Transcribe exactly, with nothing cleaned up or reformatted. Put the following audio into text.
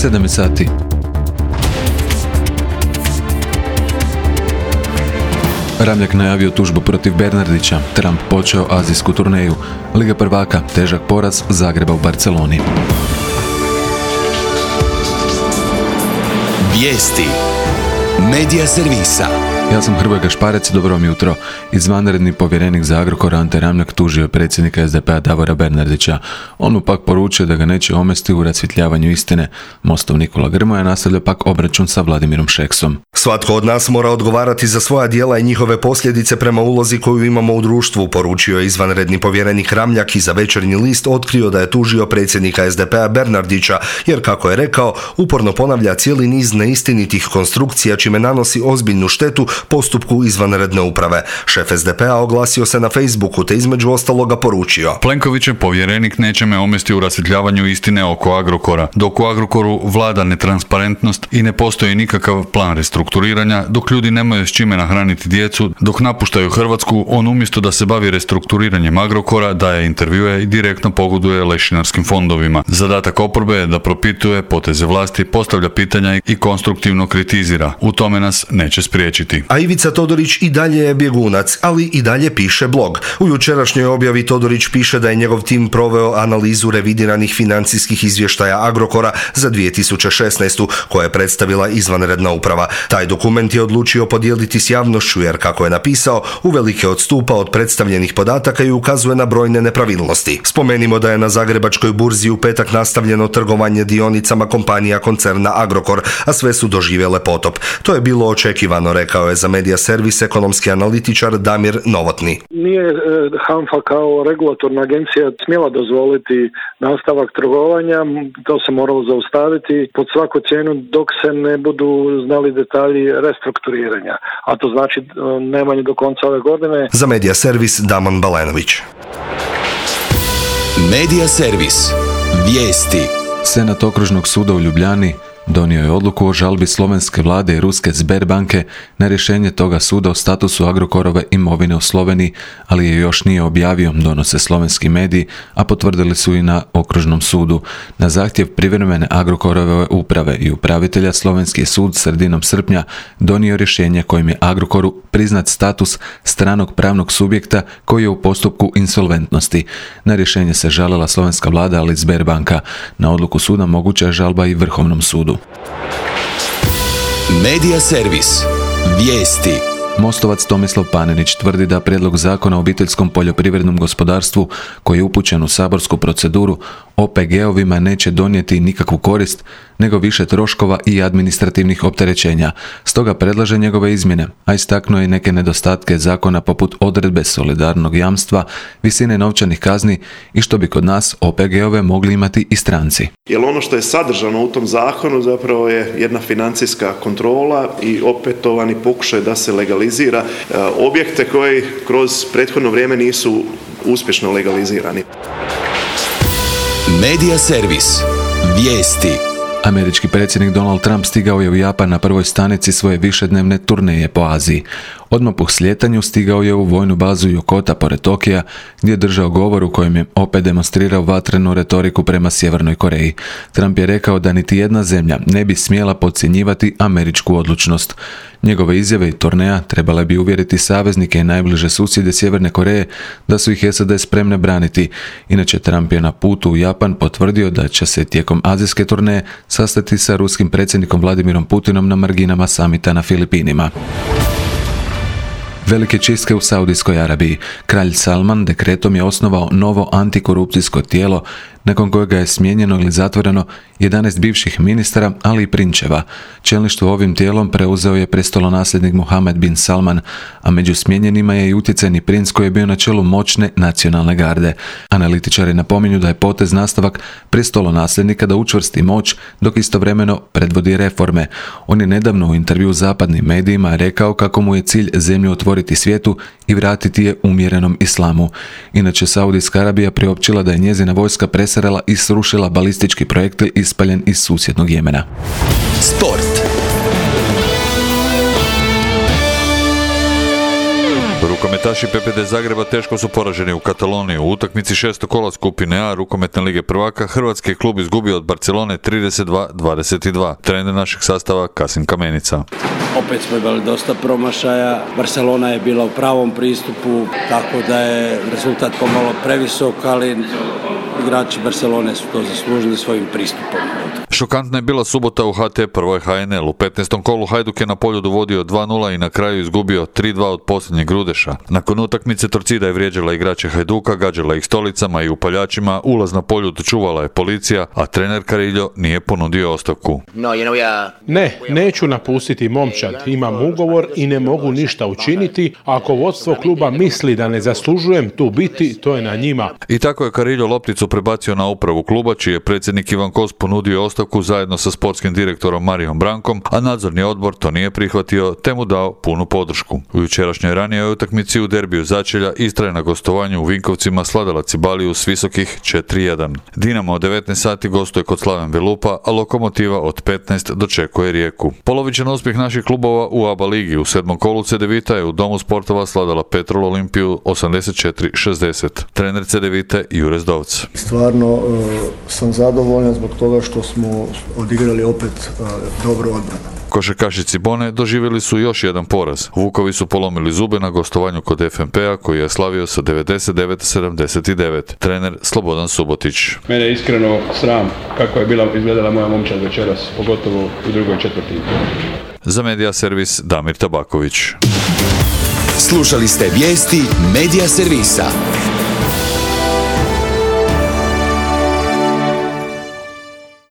sedam sati. Ramljak najavio tužbu protiv Bernardića, Trump počeo azijsku turneju, Liga prvaka, težak poraz Zagreba u Barceloni. Vijesti Medija servisa. Ja sam Hrvoje Gašparec, dobro vam jutro. Izvanredni povjerenik za Agrokor Ante Ramljak tužio predsjednika es de pe a Davora Bernardića. On mu pak poručio da ga neće omesti u rasvjetljavanju istine. Mostov Nikola Grmoja nastavlja pak obračun sa Vladimirom Šeksom. Svatko od nas mora odgovarati za svoja djela i njihove posljedice prema ulozi koju imamo u društvu, poručio je izvanredni povjerenik Ramljak i za Večernji list otkrio da je tužio predsjednika es de pe a Bernardića, jer kako je rekao, uporno ponavlja cijeli niz neistinitih konstrukcija čime nanosi ozbiljnu štetu postupku izvanredne uprave. Šef es de pe a oglasio se na Facebooku te između ostaloga poručio: Plenkovićev povjerenik neće me omesti u rasvjetljavanju istine oko Agrokora. Dok u Agrokoru vlada netransparentnost i ne postoji nikakav plan restrukturiranja, dok ljudi nemaju s čime nahraniti djecu, dok napuštaju Hrvatsku, on umjesto da se bavi restrukturiranjem Agrokora, daje intervjue i direktno pogoduje lešinarskim fondovima. Zadatak oporbe je da propituje poteze vlasti, postavlja pitanja i konstruktivno kritizira. U tome nas neće spriječiti. A Ivica Todorić i dalje je bjegunac, ali i dalje piše blog. U jučerašnjoj objavi Todorić piše da je njegov tim proveo analizu revidiranih financijskih izvještaja Agrokora za dvije tisuće šesnaestu koje je predstavila izvanredna uprava. Taj dokument je odlučio podijeliti s javnošću jer, kako je napisao, uvelike odstupa od predstavljenih podataka i ukazuje na brojne nepravilnosti. Spomenimo da je na Zagrebačkoj burzi u petak nastavljeno trgovanje dionicama kompanija koncerna Agrokor, a sve su doživjele potop. To je bilo očekivano, rekao je za Medija servis ekonomski analitičar Damir Novotni. Nije HANFA kao regulatorna agencija smjela dozvoliti nastavak trgovanja, to se moralo zaustaviti pod svaku cijenu dok se ne budu znali detalji restrukturiranja, a to znači najmanje do konca ove godine. Za Medija servis Damon Balenović. Medija servis. Vijesti. Senat okružnog suda u Ljubljani donio je odluku o žalbi slovenske vlade i ruske Sberbanke na rješenje toga suda o statusu Agrokorove imovine u Sloveniji, ali je još nije objavio, donose slovenski mediji, a potvrdili su i na okružnom sudu. Na zahtjev privremene Agrokorove uprave i upravitelja slovenski sud sredinom srpnja donio rješenje kojim je Agrokoru priznat status stranog pravnog subjekta koji je u postupku insolventnosti. Na rješenje se žalila slovenska vlada, ali Sberbanka. Na odluku suda moguća je žalba i Vrhovnom sudu. Medija servis. Vijesti. Mostovac Tomislav Panenić tvrdi da prijedlog zakona o obiteljskom poljoprivrednom gospodarstvu koji je upućen u saborsku proceduru o pe ge ovima neće donijeti nikakvu korist, nego više troškova i administrativnih opterećenja. Stoga predlaže njegove izmjene, a istaknuo je neke nedostatke zakona poput odredbe solidarnog jamstva, visine novčanih kazni i što bi kod nas o pe ge ove mogli imati i stranci. Jer ono što je sadržano u tom zakonu zapravo je jedna financijska kontrola i opetovani pokušaj da se legalizira objekte koji kroz prethodno vrijeme nisu uspješno legalizirani. Medija servis. Vijesti. Američki predsjednik Donald Trump stigao je u Japan na prvoj stanici svoje višednevne turneje po Aziji. Odmah po slijetanju stigao je u vojnu bazu Yokota pored Tokija, gdje je držao govor u kojem je opet demonstrirao vatrenu retoriku prema Sjevernoj Koreji. Trump je rekao da niti jedna zemlja ne bi smjela podcjenjivati američku odlučnost. Njegove izjave i turneja trebale bi uvjeriti saveznike i najbliže susjede Sjeverne Koreje da su ih es a de spremne braniti. Inače, Trump je na putu u Japan potvrdio da će se tijekom azijske turneje sastati sa ruskim predsjednikom Vladimirom Putinom na marginama samita na Filipinima. Velike čistke u Saudijskoj Arabiji. Kralj Salman dekretom je osnovao novo antikorupcijsko tijelo nakon kojega je smijenjeno ili zatvoreno jedanaest bivših ministara, ali i prinčeva. Čelništvo ovim tijelom preuzeo je prestolonasljednik Mohammed bin Salman, a među smijenjenima je i utjecajni princ koji je bio na čelu moćne nacionalne garde. Analitičari napominju da je potez nastavak prestolonasljednika da učvrsti moć dok istovremeno predvodi reforme. On je nedavno u intervju zapadnim medijima rekao kako mu je cilj zemlju otvoriti svijetu i vratiti je umjerenom islamu. Inače, Saudijska Arabija priopćila da je njezina vojska presrela i srušila balistički projektil ispaljen iz susjednog Jemena. Sport. Rukometaši P P D Zagreba teško su poraženi u Kataloniji. U utakmici šestog kola skupine A Rukometne lige prvaka hrvatski klub izgubio od Barcelone trideset dva dvadeset dva. Trener našeg sastava Kasim Kamenica. Opet smo imali dosta promašaja. Barcelona je bila u pravom pristupu, tako da je rezultat pomalo previsok, ali igrači Barcelone su to zaslužili svojim pristupom. Šokantna je bila subota u H T prvoj H N L. U petnaestom kolu Hajduk je na Poljudu vodio dva nula i na kraju izgubio tri dva od posljednjeg Grudeša. Nakon utakmice Torcida je vrijeđala igrače Hajduka, gađala ih stolicama i upaljačima, ulaz na Poljud čuvala je policija, a trener Carillo nije ponudio ostavku. Ne, neću napustiti momčad. Imam ugovor i ne mogu ništa učiniti. Ako vodstvo kluba misli da ne zaslužujem tu biti, to je na njima. I tako je Carillo lopticu prebacio na upravu kluba, čiji je predsjednik Ivan Kos ponudio ostavku zajedno sa sportskim direktorom Marijom Brankom, a nadzorni odbor to nije prihvatio te mu dao punu podršku. U jučerašnjoj ranijoj utakmici u derbiju Začelja Istra je na gostovanju u Vinkovcima sladala Cibaliju s visokih četiri jedan. Dinamo od devetnaest sati gostuje kod Slaven Belupa, a Lokomotiva od petnaest dočekuje Rijeku. Polovičan uspjeh naših klubova u A B A ligi u sedmom kolu C D Vita je u Domu sportova sladala Petrol Olimpiju osamdeset četiri šezdeset. Trener C D Vite Jure Zdovc. Stvarno uh, sam zadovoljan zbog toga što smo odigrali opet uh, dobro odbranu. Košarkaši Cibone doživjeli su još jedan poraz. Vukovi su polomili zube na gostovanju kod F M P-a koji je slavio sa devedeset devet sedamdeset devet. Trener Slobodan Subotić. Mene je iskreno sram kako je bila izgledala moja momčad večeras, pogotovo u drugoj četvrtini. Za Medija servis Damir Tabaković. Slušali ste vijesti Medija servisa.